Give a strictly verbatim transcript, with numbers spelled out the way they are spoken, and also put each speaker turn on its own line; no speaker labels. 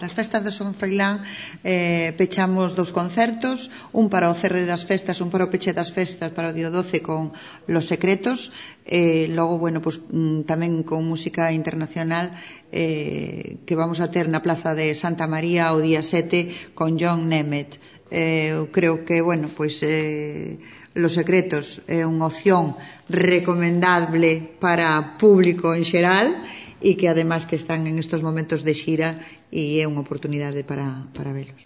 para as festas de Son Froilán eh, pechamos dous concertos, un para o cerre das festas, un para o peche das festas para o día doce con Los Secretos, e eh, logo, bueno, pues, tamén con música internacional eh, que vamos a ter na Plaza de Santa María o día sete con John Nemeth. Eh, eu creo que, bueno, pois eh, Los Secretos é unha opción recomendable para público en xeral e que además que están en estos momentos de xira e é unha oportunidade para, para velos.